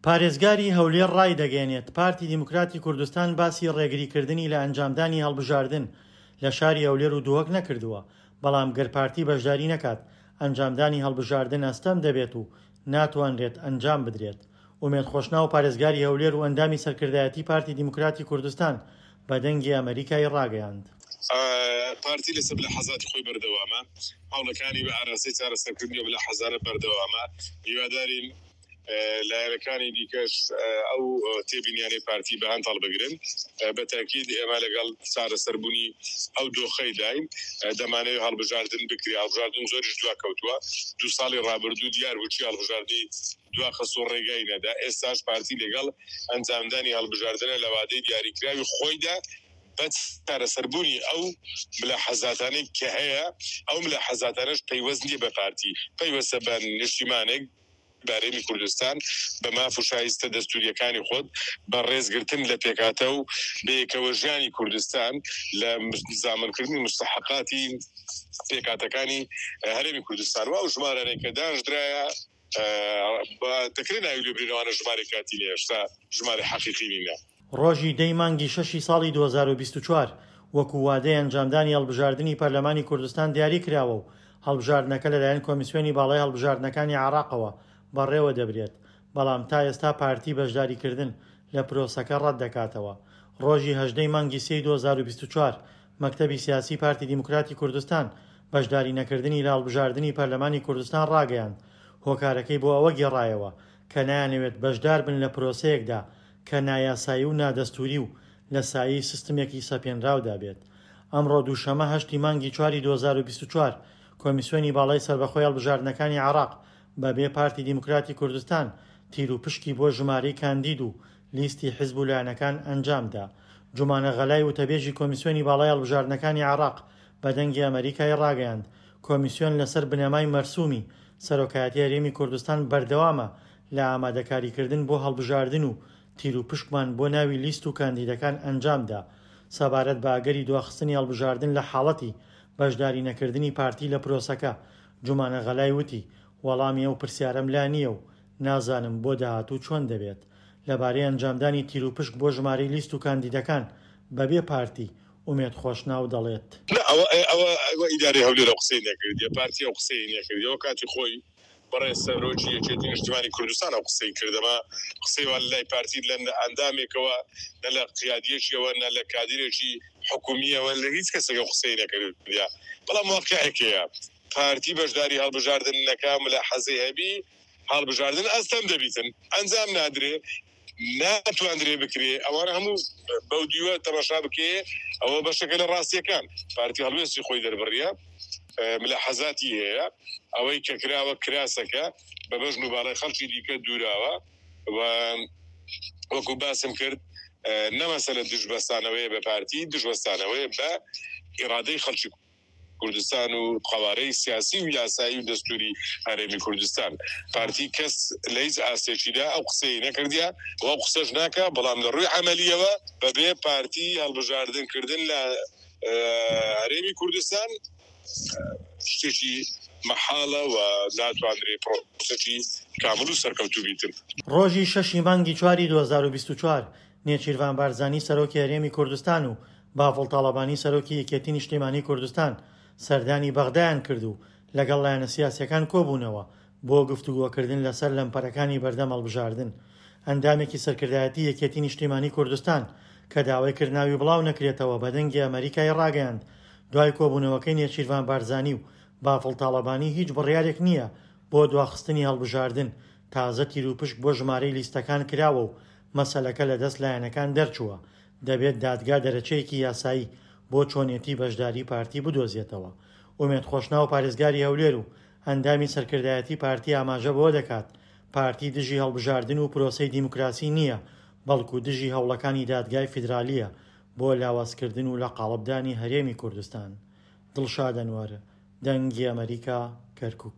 پارێزگاری هەولێر ڕایدەگەیەنێت، پارتی دیموکراتی کوردستان باسی ڕێگریکردنی لە ئەنجامدانی هەڵبژاردن لە شاری هەولێر و دهۆک نەکردووە، بەڵام گەر پارتی بەشداری نەکات، ئەنجامدانی هەڵبژاردن ئەستەم دەبێت و ناتوانرێت ئەنجام بدرێت. ئومێد خۆشناو پارێزگاری هەولێر و ئەندامی سەرکردایەتی پارتی دیموکراتی کوردستان بە دەنگی ئەمەریکای ڕاگەیاند. پارتی لەسەر ملاحەزاتی خۆی بەردەوامە، هەوڵەکانی بە ئاراستەی چارەسەرکردنی ئەو ملاحەزانە بەردەوامە، هیوادارین لایەنەکانی دیکەش ئەو تێبینیانەی پارتی بە هەند هەڵبگرن، بە تاکید ئێمە لەگەڵ چارەسەربوونی ئەو دۆخەیداین، دەمانەوێت هەڵبژاردن بکرێت، هەڵبژاردن زۆریش دواکەوتووە، دوو ساڵی ڕابردوو دیار بوو چی هەڵبژاردنی دواخست و ڕێگای نەدا، ئێستاش پارتی لەگەڵ ئەنجامدانی هەڵبژاردنە لە وادەی دیاریکراوی خۆیدا بە چارەسەربوونی ئەو ملاحەزاتانەی کە هەیە، ئەو ملاحەزاتانەش پەیوەست نییە بە پارتی، پەیوەستە بە نیشتیمانێک، بە هەرێمی کوردستان، بە ماف و شایستە دەستوورییەکانی خۆت، بە ڕێزگرتن لە پێکهاتە و بەیەکەوەژیانی کوردستان، لە زامنکردنی موستەحەقاتی پێکهاتەکانی هەرێمی کوردستان و ئەو ژمارانەی کە دانژدرایە دەکرێت ناوی لێ برێن ئەوانە ژمارەی کاتی نیە هێشتا ژمارەی حەقیقی نینە. ڕۆژی دەی مانگی شەشی ساڵی 2024 وەکو وادەی ئەنجامدانی هەڵبژاردنی پەرلەمانی کوردستان دیاری کراوە و هەڵبژاردنەکە لەلایەن کۆمیسیۆنی باڵای هەڵبژاردنەکانی عێراقەوە بەڕێوە دەبرێت، بەڵام تا ئێستا پارتی بەشداریکردن لە پرۆسەکە ڕەتدەکاتەوە. ڕۆژی 18 ی مانگی سێی 2024 مەکتەبی سیاسی پارتی دیموکراتی کوردستان بەشداری نەکردنی لە هەڵبژاردنی پەرلەمانی کوردستان ڕاگەیاند، هۆکارەکەی بۆ ئەوە گێڕایەوە کە نایانەوێت بەشدار بن لە پرۆسەیەکدا کە نایاسایی و نادەستووری و لە سایەی سیستمێکی سەپێنراودا بێت. ئەمڕۆ دووشەمە هەشتی مانگی چواری 2024 کۆمیسیۆنی باڵای سەربەخۆی هەڵبژاردنەکانی عێراق بە بێ پارتی دیموکراتی کوردستان تیروپشکی بۆ ژمارەی کاندید و لیستی حزب و لایەنەکان ئەنجامدا. جومانە غەلای وتەبێژی کۆمیسیۆنی باڵای هەڵبژاردنەکانی عێراق بە دەنگی ئەمەریکای ڕاگەیاند، کۆمیسیۆن لەسەر بنەمای مەرسومی سەرۆکایەتی هەرێمی کوردستان بەردەوامە لە ئامادەکاریکردن بۆ هەڵبژاردن و تیروپشکمان بۆ ناوی لیست و کاندیدەکان ئەنجامدا. سەبارەت بە ئەگەری دواخستنی هەڵبژاردن لە حاڵەتی بەشداری نەکردنی پارتی لە پرۆسەکە، جومانە غەلای وتی، وەڵامی ئەو پرسیارەم لا نییە و نازانم بۆ داهاتوو چۆن دەبێت. لەبارەی ئەنجامدانی تیروپشک بۆ ژمارەی لیست و کاندیدەکان بەبێ پارتی، ئومێد خۆشناو دەڵێت. نا ئەوە ئەوە ئەوە ئیدارەی هەولێر ئەو قسەی نەکردیە، پارتی ئەو قسەی نەکردیە، ئەوە کاتی خۆی بەڕێز سەرۆکی یەکێتی نیشتیمانی کوردستان ئەو قسەی کرد، ئەمە قسەی وا لەلای پارتی لە ئەندامێکەوە نە لە قیادیەکیەوە نە لە کادیرێکی حکومیەوە لە هیچ کەسێک ئەو قسەی نەکردیە، بەڵام واقیعێک هەیە پارتی بەشداری هەڵبژاردن نەکا ملاحەزەی هەبی هەڵبژاردن ئەستەم دەبیتن ئەنجام نادرێ ناتواندرێ بکرێ ئەوانە هەموو بەو دیوە تەماشا بکێ ئەوە بەشەکە لە ڕاستیەکان پارتی هەڵوێستی خۆی دەربڕیە ملاحەزاتی هەیە ئەوەی کە کراوە کراسەکە بە بەژن و باڵای خەڵکی دیکە دووراوە و وەکو باسم کرد نەمەسەلە دژبەستانەوەیە بە پارتی دژوەستانەوەیە بە ئیرادەی خەڵکی کوردستان و قەوارەی سیاسی و یاسایی و دەستوری هەرێمی کوردستان. پارتی کەس لە هیچ ئاستێکیدا ئەو قسەی نەکردیە و ئەو قسەش ناکا، بەڵام لە ڕووی عەمەلیەوە بەبێ پارتی هەڵبژاردن کردن لە هەرێمی کوردستان شتێکی مەحاڵە و ناتواندرێ پرۆسەکی کامل و سەرکەوتوو بیتن. ڕۆژی شەشی مانگی چواری 2024 نێچیرڤان بارزانی سەرۆکی هەرێمی کوردستان و بافڵ تاڵەبانی سەرۆکی یەکێتی نیشتیمانی کوردستان سەردانی بەغدایان کرد و لەگەڵ لایەنە سیاسیەکان کۆبوونەوە بۆ گفتوگۆکردن لەسەر لەمپەرەکانی بەردەم هەڵبژاردن. ئەندامێکی سەرکردایەتی یەکێتی نیشتیمانی کوردستان کە داوای کرد ناوی بڵاو نەکرێتەوە بە دەنگی ئەمەریکای ڕاگەیاند دوای کۆبوونەوەکەی نێچیرڤان بارزانی و بافڵ تاڵەبانی هیچ بڕیارێک نییە بۆ دواخستنی هەڵبژاردن، تازە تیروپشک بۆ ژمارەی لیستەکان کراوە و مەسەلەکە لەدەست لایەنەکان دەرچووە، دەبێت دادگا دەرەچەیەکی یاسایی بۆ چۆنێتی بەشداری پارتی بدۆزێتەوە. ئومێد خۆشناو پارێزگاری هەولێر و ئەندامی سەرکردایەتی پارتی ئاماژە بەوە دەکات، پارتی دژی هەڵبژاردن و پرۆسەی دیموکراسی نییە، بەڵکو دژی هەوڵەکانی دادگای فیدرالییە بۆ لاوازکردن و لەقاڵبدانی هەرێمی کوردستان. دڵشاد ئەنوەر، دەنگی ئەمەریکا، کەرکوک.